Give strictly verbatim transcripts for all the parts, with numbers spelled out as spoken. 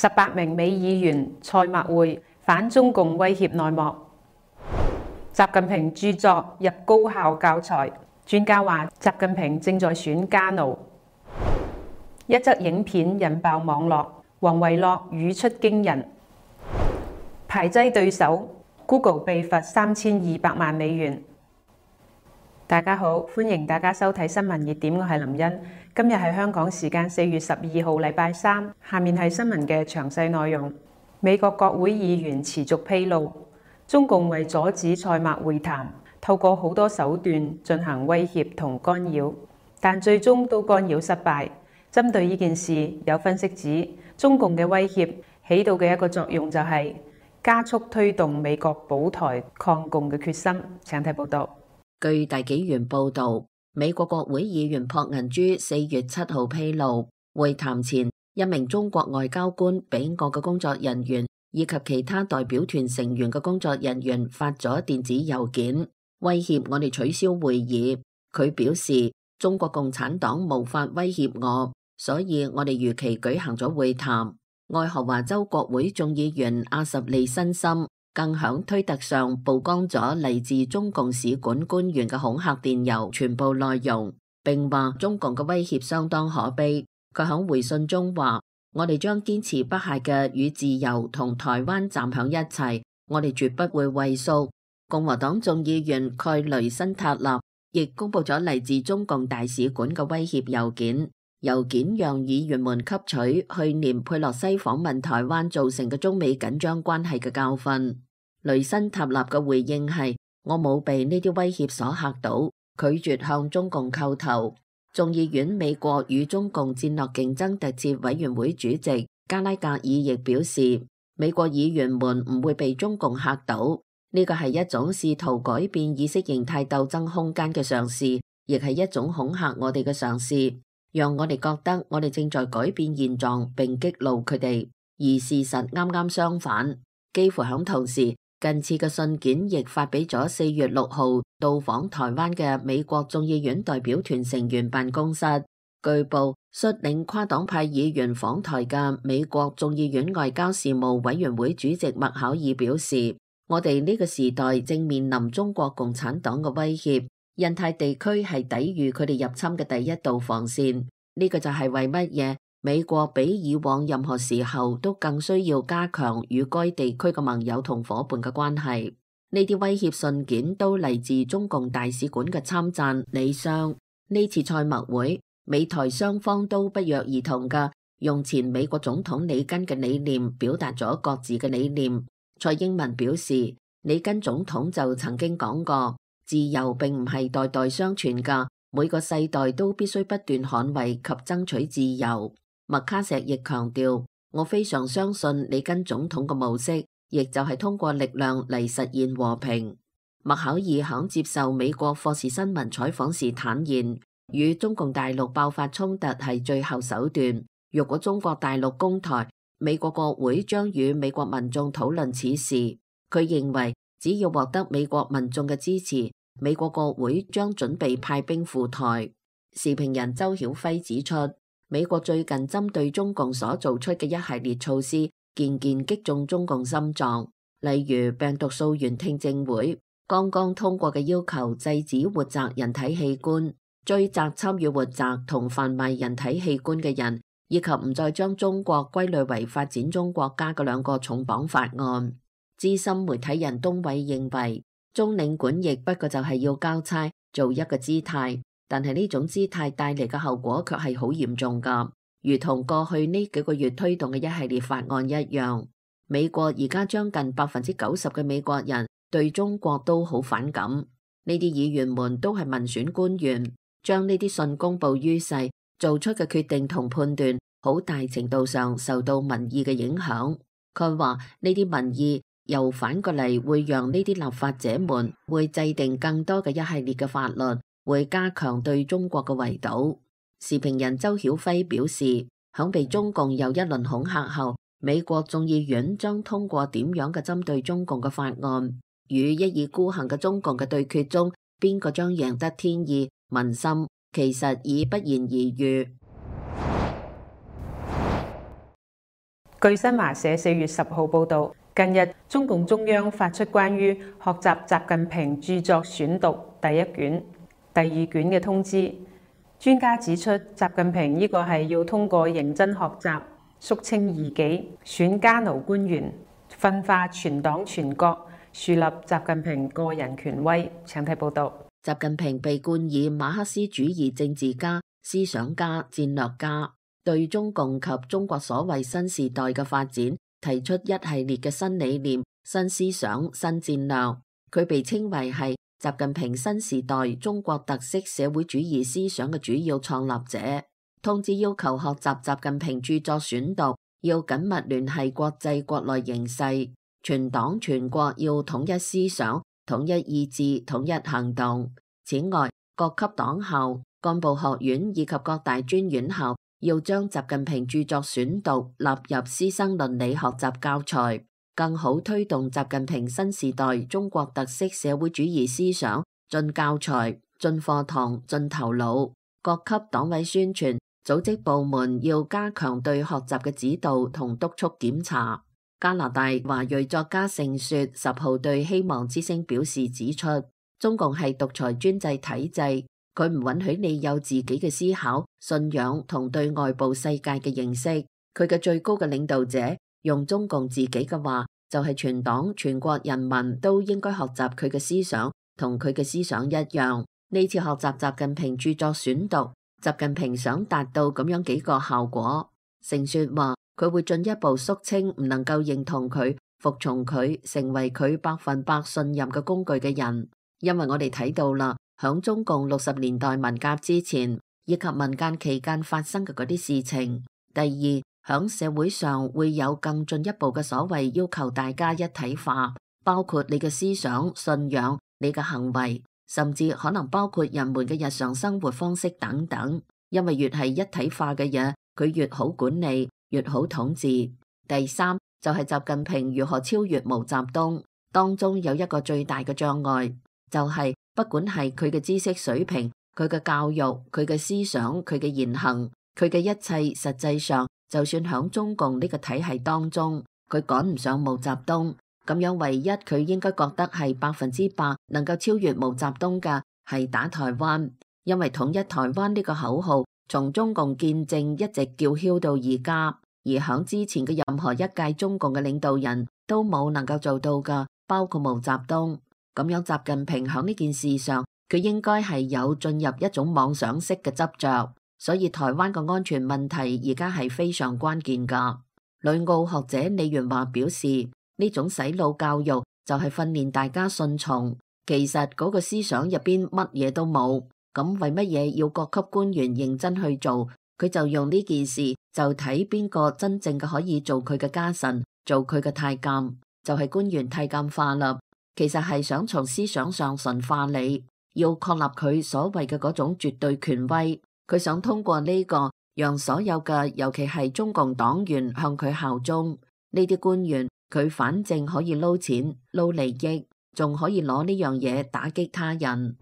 十八名美議員賽默會反中共威脅內幕。習近平著作入高校教材，專家話習近平正在選家奴。一則影片引爆網絡，王維洛語出驚人。排擠對手 ，Google 被罰三千二百萬美元。大家好，歡迎大家收睇新聞熱點，我係林茵。今日係香港時間四月十二號，禮拜三。下面係新聞嘅詳細內容。美國國會議員持續披露，中共為阻止賽默會談，透過好多手段進行威脅同干擾，但最終都干擾失敗。針對呢件事，有分析指，中共嘅威脅起到嘅一個作用就係加速推動美國保台抗共嘅決心。請睇報道。據大紀元報道，美國國會議員朴銀珠四月七號披露，會談前一名中國外交官俾我嘅工作人員以及其他代表團成員嘅工作人員發咗電子郵件，威脅我哋取消會議。佢表示，中國共產黨無法威脅我，所以我哋如期舉行咗會談。愛荷華州國會眾議員阿什利辛森更響推特上曝光咗嚟自中共使館官員嘅恐嚇電郵全部內容，並話中共嘅威脅相當可悲。佢響回信中話：我哋將堅持不懈嘅與自由同台灣站響一齊，我哋絕不會畏縮。共和黨眾議員蓋雷辛塔納亦公布咗嚟自中共大使館嘅威脅郵件，郵件讓議員們吸取去年佩洛西訪問台灣造成嘅中美緊張關係嘅教訓。雷辛塔納嘅回應係：我冇被呢啲威脅所嚇到，拒絕向中共叩頭。眾議院美國與中共戰略競爭特設委員會主席加拉格爾亦表示，美國議員們唔會被中共嚇倒，呢個係一種試圖改變意識形態鬥爭空間嘅嘗試，亦係一種恐嚇我哋嘅嘗試，讓我哋覺得我哋正在改變現狀並激怒佢哋。而事實啱啱相反，幾乎響同時，近次嘅信件亦發俾咗四月六號到訪台灣嘅美國眾議院代表團成員辦公室。據報，率領跨黨派議員訪台嘅美國眾議院外交事務委員會主席麥考爾表示：我哋呢個時代正面臨中國共產黨嘅威脅，印太地區係抵禦佢哋入侵嘅第一道防線。呢個就係為乜嘢美國比以往任何時候都更需要加強與該地區嘅盟友同夥伴嘅關係。呢啲威脅信件都嚟自中共大使館嘅參贊李相。呢次賽默會，美台雙方都不約而同嘅用前美國總統里根嘅理念表達咗各自嘅理念。蔡英文表示，里根總統就曾經講過，自由並唔係代代相傳㗎，每個世代都必須不斷捍衛及爭取自由。麥卡錫亦強調，我非常相信里根總統嘅模式，亦就係通過力量嚟實現和平。麥考爾響接受美國霍士新聞採訪時坦言，與中共大陸爆發衝突係最後手段。如果中國大陸攻台，美國國會將與美國民眾討論此事。佢認為，只要獲得美國民眾嘅支持，美國國會將準備派兵赴台。時評人周曉輝指出，美國最近針對中共所做出嘅一系列措施，件件擊中中共心臟。例如病毒溯源聽證會剛剛通過嘅要求，制止活摘人體器官、追責參與活摘同販賣人體器官嘅人，以及唔再將中國歸類為發展中國家嘅兩個重磅法案。資深媒體人東偉認為，中領館亦不過就係要交差做一個姿態。但係呢種姿態帶嚟嘅後果卻係好嚴重㗎，如同過去呢幾個月推動嘅一系列法案一樣。美國而家將近百分之九十嘅美國人對中國都好反感。呢啲議員們都係民選官員，將呢啲信公佈於世，做出嘅決定同判斷，好大程度上受到民意嘅影響。佢話呢啲民意又反過嚟會讓呢啲立法者們會制定更多嘅一系列嘅法律，會加強對中國嘅圍堵。時評人周曉輝表示，響被中共又一輪恐嚇後，美國眾議院將通過點樣嘅針對中共嘅法案，與一意孤行嘅中共嘅對決中，邊個將贏得天意民心，其實已不言而喻。據新華社四月十號報導，近日中共中央發出關於學習習近平著作選讀第一卷、第二卷嘅通知。專家指出，習近平呢個係要通過認真學習、肅清異己、選家奴官員、分化全黨全國，樹立習近平個人權威。請睇報導。習近平被冠以馬克思主義政治家、思想家、戰略家，對中共及中國所謂新時代嘅發展提出一系列嘅新理念、新思想、新戰略。佢被稱為係習近平新時代中國特色社會主義思想嘅主要創立者。通知要求學習習近平著作選讀，要緊密聯繫國際國內形勢，全黨全國要統一思想、統一意志、統一行動。此外，各級黨校、幹部學院以及各大專院校要將習近平著作選讀納入師生倫理學習教材，更好推動習近平新時代中國特色社會主義思想進教材、進課堂、進頭腦。各級黨委宣傳組織部門要加強對學習嘅指導同督促檢查。加拿大華裔作家盛雪十號對希望之聲表示指出，中共係獨裁專制體制，佢唔允許你有自己嘅思考、信仰同對外部世界嘅認識。佢嘅最高嘅領導者用中共自己嘅話，就係全黨全國人民都應該學習佢嘅思想，同佢嘅思想一樣。呢次學習習近平著作選讀，習近平想達到咁樣幾個效果。盛雪話佢會進一步肅清唔能夠認同佢、服從佢、成為佢百分百信任嘅工具嘅人，因為我哋睇到啦，響中共六十年代文革之前以及文革期間發生嘅嗰啲事情。第二，響社會上會有更進一步嘅所謂要求大家一體化，包括你嘅思想、信仰、你嘅行為，甚至可能包括人們嘅日常生活方式等等。因為越係一體化嘅嘢，佢越好管理，越好統治。第三就係習近平如何超越毛澤東，當中有一個最大嘅障礙，就係不管係佢嘅知識水平、佢嘅教育、佢嘅思想、佢嘅言行、佢嘅一切，實際上就算響中共呢個體系當中，佢趕唔上毛澤東。咁樣唯一佢應該覺得係百分之百能夠超越毛澤東嘅係打台灣，因為統一台灣呢個口號從中共建政一直叫囂到而家，而響之前嘅任何一屆中共嘅領導人都冇能夠做到噶，包括毛澤東。咁樣習近平響呢件事上，佢應該係有進入一種妄想式嘅執着，所以台灣嘅安全問題而家係非常關鍵噶。旅澳學者李元華表示，呢種洗腦教育就係訓練大家順從，其實嗰個思想入邊乜嘢都冇，咁為乜嘢要各級官員認真去做？佢就用呢件事就睇邊個真正嘅可以做佢嘅家臣，做佢嘅太監，就係、是、官員太監化啦。其實係想從思想上馴化你，要確立佢所謂嘅嗰種絕對權威。佢想通過呢、這個讓所有嘅，尤其係中共黨員向佢效忠。呢啲官員佢反正可以撈錢撈利益，仲可以攞呢樣嘢打擊他人。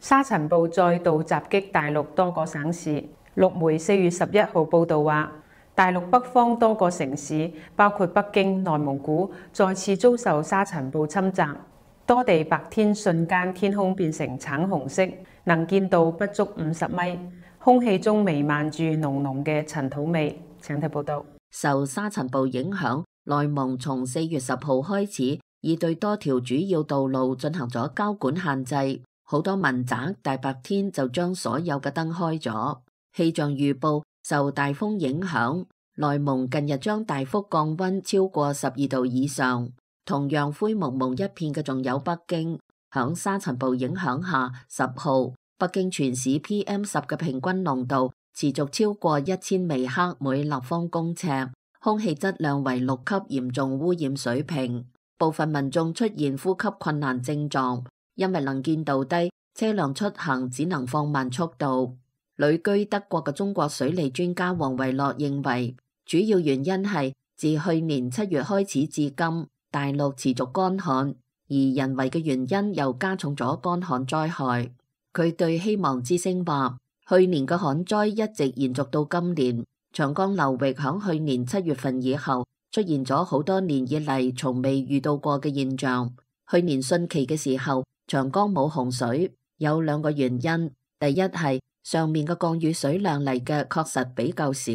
沙塵暴再度襲擊大陸多個省市。陸媒四月十一號報道話，大陸北方多個城市，包括北京、內蒙古，再次遭受沙塵暴侵襲，多地白天瞬間天空變成橙紅色，能見度不足五十米，空氣中彌漫住濃濃嘅塵土味。請睇報道。受沙塵暴影響，內蒙從四月十號開始，已對多條主要道路進行咗交管限制，好多民宅大白天就將所有嘅燈開咗。氣象預報受大風影響，內蒙近日將大幅降溫超過十二度以上。同樣灰蒙蒙一片嘅仲有北京，響沙塵暴影響下，十號北京全市 P M 十 嘅平均濃度持續超過一千微克每立方公尺，空氣質量為六級嚴重污染水平。部分民眾出現呼吸困難症狀，因為能見度低，車輛出行只能放慢速度。旅居德國嘅中國水利專家王維樂認為，主要原因係自去年七月開始至今，大陸持續乾旱，而人為嘅原因又加重咗乾旱災害。佢對希望之聲話，去年嘅旱災一直延續到今年，長江流域響去年七月份以後出現咗好多年以嚟從未遇到過嘅現象。去年汛期嘅時候，長江冇洪水，有兩個原因。第一係上面嘅降雨水量嚟嘅確實比較少，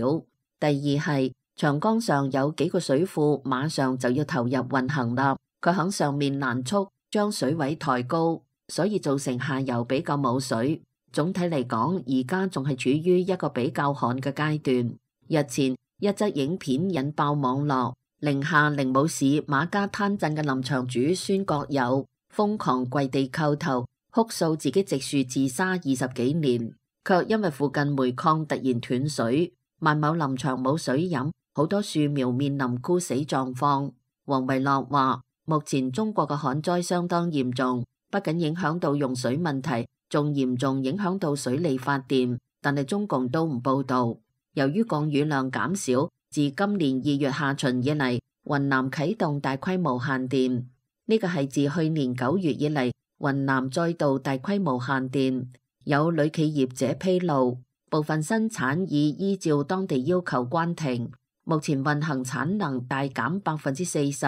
第二係長江上有幾個水庫馬上就要投入運行啦，佢響上面難速將水位抬高，所以造成下游比較冇水。總體嚟講，而家仲係處於一個比較旱嘅階段。日前一則影片引爆網絡，寧夏靈武市馬家灘鎮嘅林場主孫國友瘋狂跪地叩頭，哭訴自己植樹自殺二十幾年，卻因為附近煤礦突然斷水，萬畝林場冇水飲，好多樹苗面臨枯死狀況。王維樂話：目前中國嘅旱災相當嚴重，不僅影響到用水問題，仲嚴重影響到水利發電，但係中共都唔報道。由於降雨量減少，自今年二月下旬以嚟，雲南啟動大規模限電。呢個係自去年九月以嚟，雲南再度大規模限電。有女企業者披露，部分生產已依照當地要求關停，目前運行產能大減百分之四十。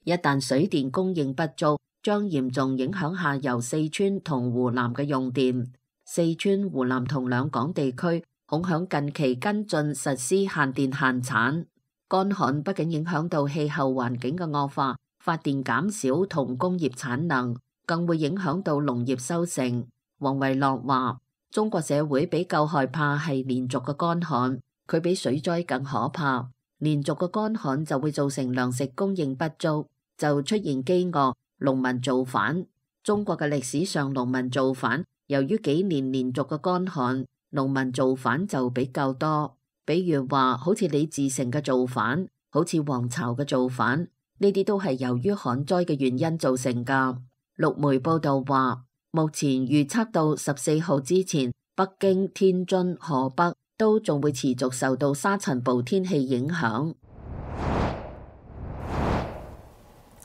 一旦水電供應不足，將嚴重影響下游四川同湖南嘅用電。四川、湖南同兩廣地區恐響近期跟進實施限電限產。乾旱不僅影響到氣候環境嘅惡化，發電減少同工業產能，更會影響到農業收成。王維樂話：中國社會比較害怕係連續嘅乾旱，佢比水災更可怕。連續嘅乾旱就會造成糧食供應不足，就出現饑餓，農民造反。中國嘅歷史上農民造反，由於幾年連續嘅乾旱，農民造反就比較多。比如話，好似李自成嘅造反，好似黃巢嘅造反，呢啲都係由於旱災嘅原因造成噶。陸媒報道話，目前預測到十四號之前，北京、天津、河北都仲會持續受到沙塵暴天氣影響。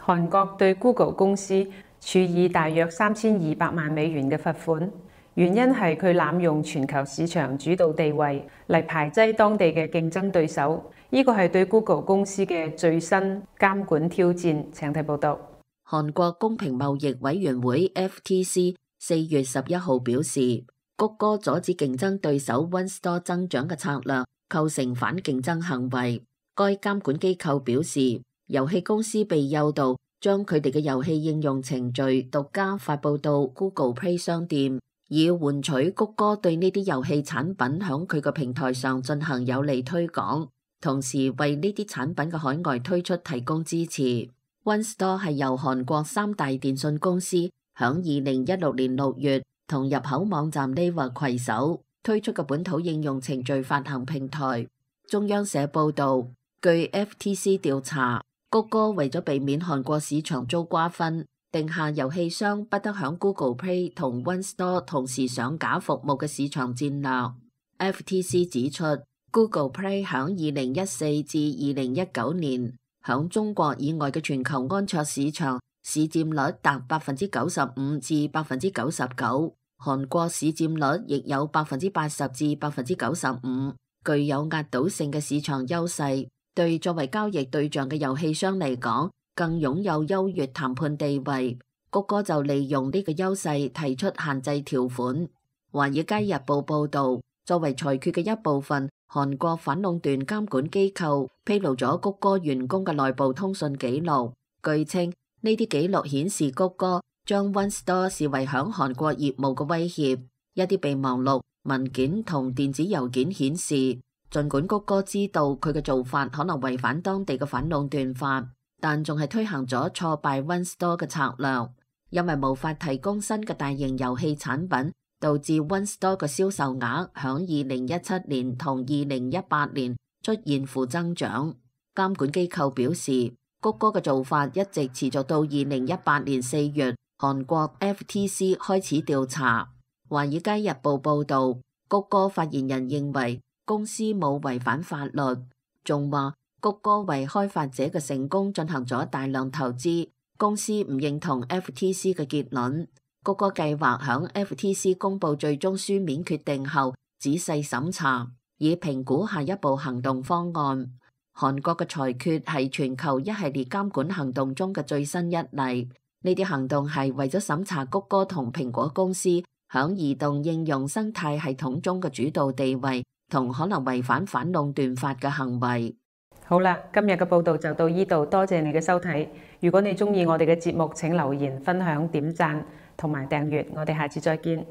韓國對 Google 公司處以大約三千二百萬美元嘅罰款，原因係佢濫用全球市場主導地位嚟排擠當地嘅競爭對手。呢個係對 Google 公司嘅最新監管挑戰。請睇報道。韓國公平貿易委員會 F T C 四月十一號表示，谷歌阻止競爭對手 OneStore 增長嘅策略構成反競爭行為。該監管機構表示，遊戲公司被誘導將佢哋嘅遊戲應用程序獨家發佈到 Google Play 商店，以換取谷歌對呢啲遊戲產品響佢個平台上進行有利推廣，同時為呢啲產品嘅海外推出提供支持。OneStore 係由韓國三大電信公司響二零一六年六月同入口網站 Naver 攜手推出嘅本土應用程序發行平台。中央社報道，據 F T C 調查，谷歌為咗避免韓國市場遭瓜分，定下遊戲商不得響 Google Play 同 OneStore 同時上架服務嘅市場戰略。F T C 指出， Google Play 響二零一四至二零一九年響中國以外嘅全球安卓市場市佔率達百分之九十五至百分之九十九，韓國市佔率亦有百分之八十至百分之九十五，具有壓倒性嘅市場優勢。對作為交易對象嘅遊戲商嚟講，更擁有優越談判地位。谷歌就利用呢個優勢提出限制條款。華爾街日報報道，作為裁決嘅一部分，韓國反壟斷監管機構披露咗谷歌員工嘅內部通訊記錄。據稱，呢啲記錄顯示谷歌將 OneStore 視為響韓國業務嘅威脅。一啲備忘錄、文件同電子郵件顯示，儘管谷歌知道佢嘅做法可能違反當地嘅反壟斷法，但仲係推行咗挫敗 OneStore 嘅策略，因為無法提供新嘅大型遊戲產品，導致 OneStore 嘅銷售額響二零一七年同二零一八年出現負增長。監管機構表示，谷歌嘅做法一直持續到二零一八年四月，韓國 F T C 開始調查。華爾街日報報道，谷歌發言人認為公司冇違反法律，仲話谷歌為開發者嘅成功進行咗大量投資。公司唔認同 F T C 嘅結論。谷歌計劃響 F T C 公布最終書面決定後，仔細審查，以評估下一步行動方案。韓國嘅裁決係全球一系列監管行動中嘅最新一例。呢啲行動係為咗審查谷歌同蘋果公司響移動應用生態系統中嘅主導地位同可能違反反壟斷法嘅行為。好啦，今日嘅報道就到呢度，多謝你嘅收睇。如果你鍾意我哋嘅節目，請留言、分享、點讚同埋訂閱。我哋下次再見。